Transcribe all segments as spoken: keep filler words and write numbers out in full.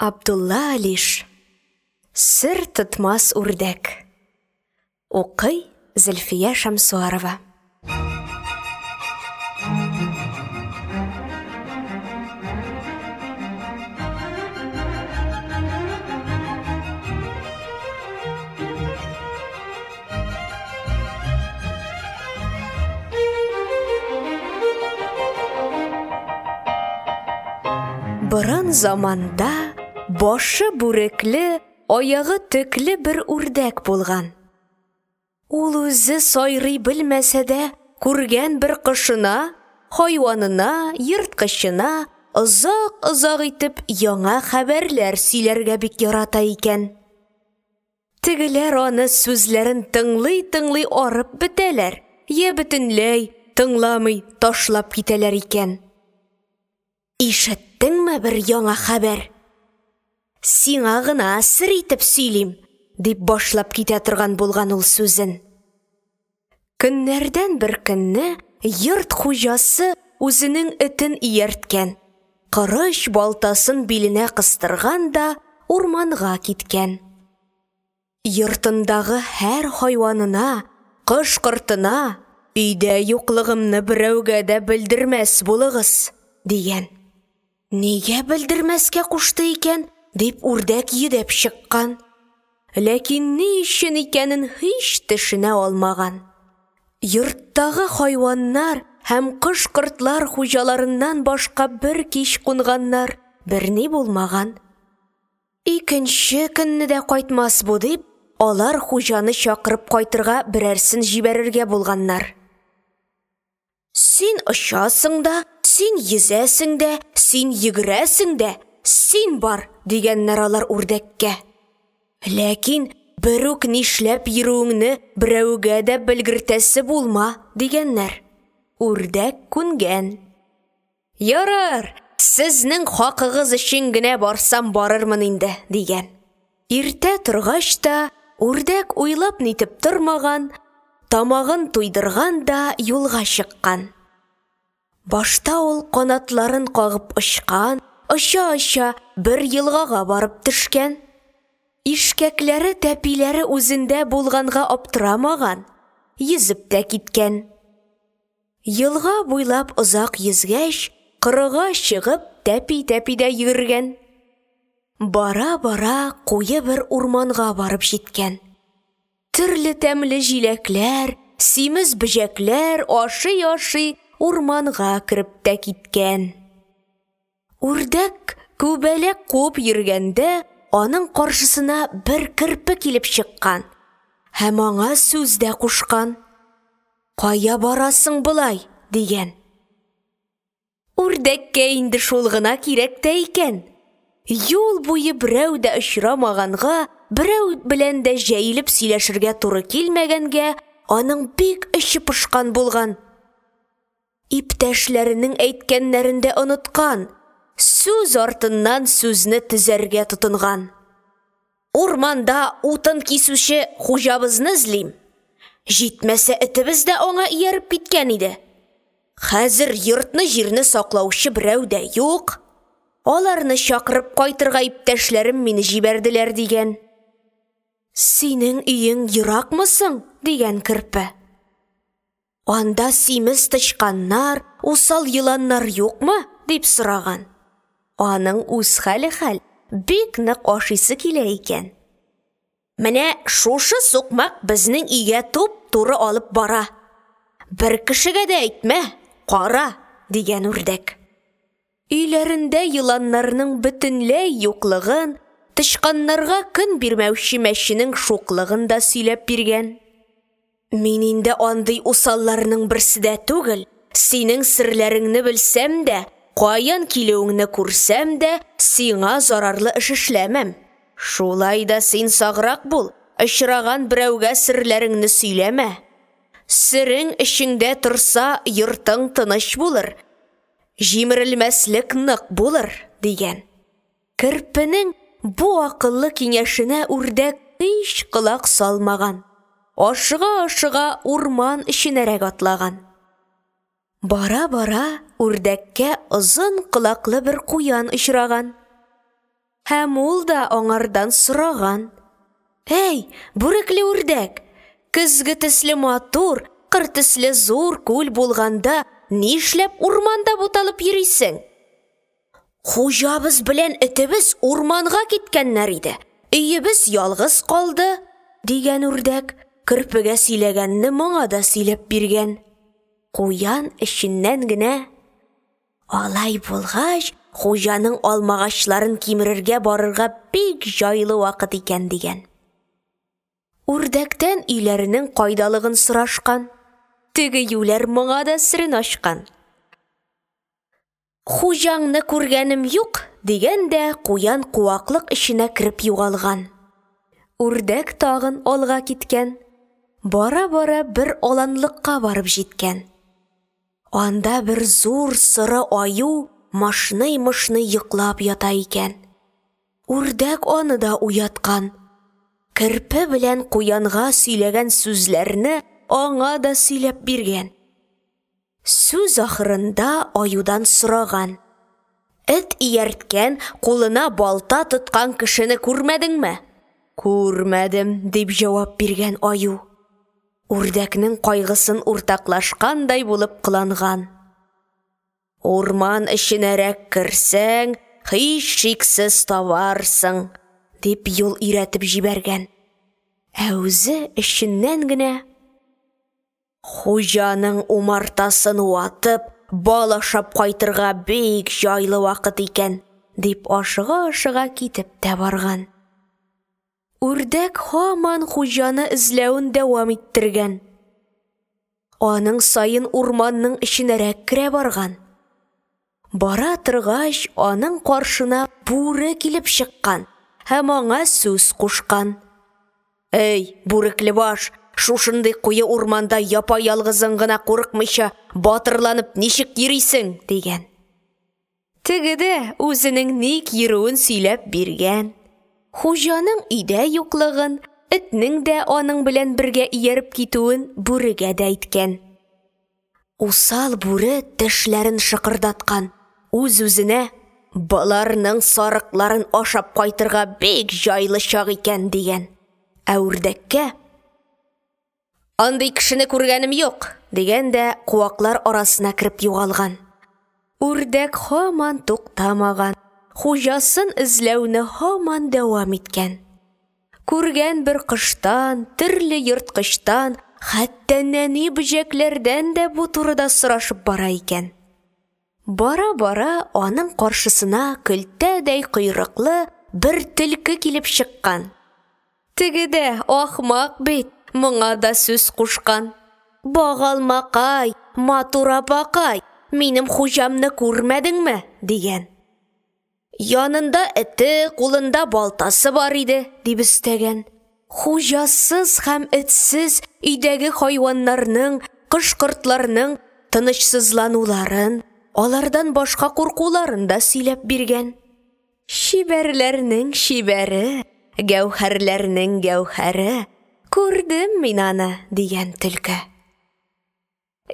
Абдулла Алиш. Сер тотмас үрдәк. Укый Зөлфия Шәмсуарова. Борын заманда башы бүрекле, аягы төкле бер үрдәк булган. Ул үзе сайрый белмәсә дә, күргән бер кошына, хайванына, ерткычына озак-озак итеп яңа хәбәрләр сөйләргә бик ярата икән. Тегеләр аны сүзләрен тыңлый-тыңлый арып бетәләр, йә бөтенләй тыңламый ташлап китәләр икән. Ишеттеңме бер яңа хәбәр? Сиңа гына сер итеп сөйлим, дип башлап китә торган булган ул сүзен. Көннәрдән бер көнне йорт хуҗасы үзенең этен иярткән, корыч балтасын биленә кыстырган да урманга киткән. Йортындагы һәр хайванына, кош-кортына: "Өйдә юклыгымны берәүгә дә белдермәс булыгыз", дигән. Нигә белдермәскә кушты икән, дип үрдәк йөдәп чыккан. Ләкин ни өчен икәнен һич төшенә алмаган. Йорттагы хайваннар һәм кош-кортлар хуҗаларыннан башка бер кич кунганнар, берни булмаган. Икенче көнне дә кайтмас бу дип, алар хуҗаны чакырып кайтырга берәрсен җибәрергә булганнар. Син очасың да, син йөзәсең дә, син йөгерәсең дә, син бар, дигәннәр алар үрдәккә. Ләкин берүк нишләп йөрүеңне берәүгә дә белгертәсе булма, дигәннәр. Үрдәк күнгән. Ярар, сезнең хакыгыз өчен генә барсам барырмын инде, дигән. Иртә торгач та үрдәк уйлап нитеп тормаган, тамагын туйдырган да юлга чыккан. Башта ул канатларын кагып очкан, оча-оча бер елгага барып төшкән. Ишкәкләре, тәпиләре үзендә булганга аптырамаган, йөзеп тә киткән. Елга буйлап озак йөзгәч, корыга чыгып, тәпи-тәпи дә йөгергән. Бара-бара куе бер урманга барып җиткән. Төрле тәмле җиләкләр, симез бөҗәкләр ашый-ашый урманга кереп тә киткән. Үрдәк күбәләк куып йөргәндә, аның каршысына бер керпе килеп чыккан һәм аңа сүз дә кушкан. Кая барасың болай? Дигән. Үрдәккә инде шул гына кирәк тә икән. Юл буе берәү дә очрамаганга, берәү белән дә җәелеп сөйләшергә туры килмәгәнгә, аның бик эче пошкан булган. Иптәшләренең әйткәннәрен дә оныткан, сүз артыннан сүзне төзәргә тотынган. Урманда утын кисүче хуҗабызны эзлим. Җитмәсә этебез дә аңа ияреп киткән иде. Хәзер йортны-җирне саклаучы берәү дә юк. Аларны чакырып кайтырга иптәшләрем мине җибәрделәр, дигән. Синең өең еракмы соң? Дигән керпе. Анда симез тычканнар, усал еланнар юкмы? Дип сораган. Аның үз хәле хәл, бик нык ашыйсы килә икән. Менә шушы сукмак безнең өйгә туп-туры алып бара. Бер кешегә дә әйтмә, кара, дигән үрдәк. Өйләрендә еланнарның бөтенләй юклыгын, тычканнарга көн бирмәүче мәченең шуклыгын да сөйләп биргән. Мин инде андый усалларның берсе дә түгел, синең серләреңне белсәм дә, каян килүеңне күрсәм дә, сиңа зарарлы эш эшләмәм. Шулай да син саграк бул, очраган берәүгә серләреңне сөйләмә. Серең эчеңдә торса, йортың тыныч булыр, җимерелмәслек нык булыр, дигән. Керпенең бу акыллы киңәшенә үрдәк һич колак салмаган. Ашыга-ашыга урман эченәрәк атлаган. Бара-бара үрдәккә озын колаклы бер куян очраган. Һәм ул да аңардан сораган: «Әй, бүрекле үрдәк, көзге төсле матур, кыр төсле зур күл булганда, нишләп урманда буталып йөрисең?» «Хуҗабыз белән этебез урманга киткәннәр иде, өебез ялгыз калды», — дигән үрдәк, керпегә сөйләгәнне моңа да сөйләп биргән. Куян эченнән генә: «Алай булгач, хуҗаның алмагачларын кимерергә барырга бик җайлы вакыт икән», — дигән. Үрдәктән өйләренең кайдалыгын сорашкан. Теге юләр моңа да серен ачкан. «Хуҗаңны күргәнем юк», — дигән дә куян куаклык эченә кереп югалган. Үрдәк тагын алга киткән. Бара-бара бер аланлыкка барып җиткән. Анда бер зур соры аю мышный-мышный йоклап ята икән. Үрдәк аны да уяткан. Керпе белән куянга сөйләгән сүзләрне аңа да сөйләп биргән. Сүз ахырында аюдан сораган: «Эт иярткән, кулына балта тоткан кешене күрмәдеңме?» «Күрмәдем», — дип җавап биргән аю. Үрдәкнең кайгысын уртаклашкандай булып кыланган. «Урман эченәрәк керсәң, һичшиксез табарсың», — дип юл өйрәтеп җибәргән. Ә үзе эченнән генә: «Хуҗаның умартасын ватып, бал ашап кайтырга бик җайлы вакыт икән», — дип ашыга-ашыга китеп тә барган. Үрдәк һаман хуҗаны эзләвен дәвам иттергән. Аның саен урманның эченәрәк керә барган. Бара торгач, аның каршына бүре килеп чыккан һәм аңа сүз кушкан: «Әй, бүрекле баш, шушындый куе урманда япа-ялгызың гына курыкмыйча, батырланып ничек йөрисең?» — дигән. Теге дә үзенең ник йөрүен сөйләп биргән. Хуҗаның өйдә юклыгын, этнең дә аның белән бергә ияреп китүен бүрегә дә әйткән. Усал бүре тешләрен шыкырдаткан, үз-үзенә: «Боларның сарыкларын ашап кайтырга бик җайлы чак икән», — дигән. Ә үрдәккә: «Андый кешене күргәнем юк», — дигән дә куаклар арасына кереп югалган. Үрдәк һаман туктамаган, хуҗасын эзләүне һаман дәвам иткән. Күргән бер коштан, төрле ерткычтан, хәтта нәни бөҗәкләрдән дә бу турыда сорашып бара икән. Бара-бара аның каршысына көлтәдәй койрыклы бер төлке килеп чыккан. Теге дә ахмак бит, моңа да сүз кушкан: «Багалмакай, матур апакай, минем хуҗамны күрмәдеңме?» — дигән. «Янында эте, кулында балтасы бар иде», — дип өстәгән. Хуҗасыз һәм этсез өйдәге хайваннарның, кош-кортларның тынычсызлануларын, алардан башка куркуларын да сөйләп биргән. «Чибәрләрнең чибәре, гәүһәрләрнең гәүһәре, күрдем мин аны», — дигән төлке.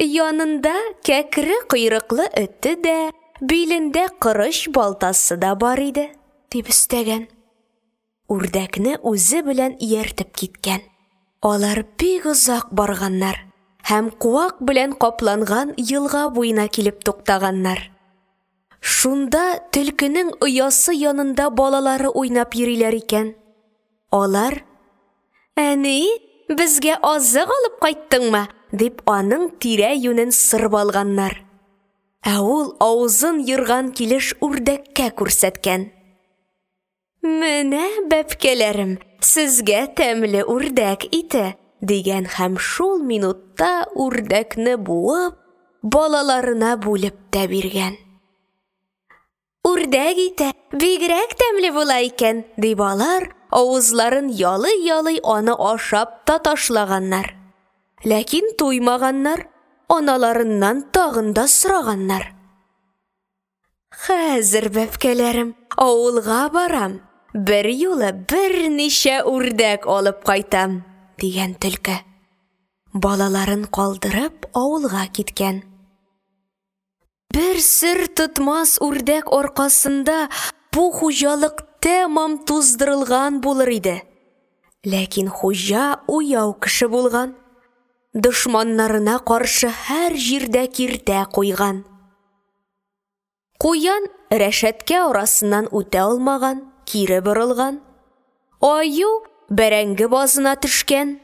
«Янында кәкре койрыклы эте дә, билендә корыч балтасы да бар иде», — дип өстәгән. Үрдәкне үзе белән ияртеп киткән. Алар бик озак барганнар һәм куак белән капланган елга буена килеп туктаганнар. Шунда төлкенең оясы янында балалары уйнап йөриләр икән. Алар: «Әни, безгә азык алып кайттыңмы?» — дип аның тирә-юнен сырып алганнар. Ә ул авызын ерган килеш үрдәккә күрсәткән: «Менә, бәбкәләрем, сезгә тәмле үрдәк ите», — дигән һәм шул минутта үрдәкне буып, балаларына бүлеп тә биргән. «Үрдәк ите бигрәк тәмле була икән», — дип алар авызларын ялый-ялый аны ашап та ташлаганнар. Ләкин туймаганнар, аналарыннан тагын да сораганнар. «Хәзер, бәбкәләрем, авылга барам, берьюлы берничә үрдәк алып кайтам», — дигән төлке. Балаларын калдырып, авылга киткән. Бер сер тотмас үрдәк аркасында бу хуҗалык тәмам туздырылган булыр иде. Ләкин хуҗа уяу кеше булган. Дошманнарына каршы һәр җирдә киртә куйган. Куян рәшәткә арасыннан үтә алмаган, кире борылган. Аю бәрәңге базына төшкән.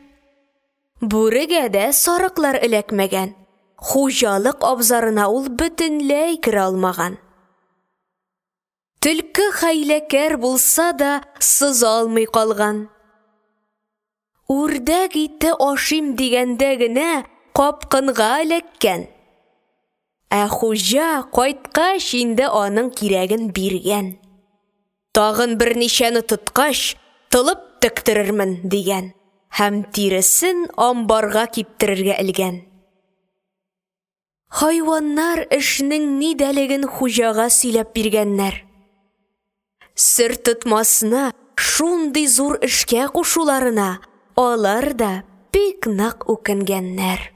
Бүрегә дә сарыклар эләкмәгән. Хуҗалык абзарына ул бөтенләй керә алмаган. Төлке хәйләкәр булса да, сыза алмый калган. Үрдәк ите ашыйм дигәндә генә капкынга эләккән. Ә хуҗа кайткач инде аның кирәген биргән. Тагын берничәне тоткач, толып тектерермен, дигән һәм тиресен амбарга киптерергә элгән. Хайваннар эшнең нидәлеген хуҗага сөйләп биргәннәр. Сертотмасны шундый зур эшкә кушуларына алар да бик нык үкенгәннәр.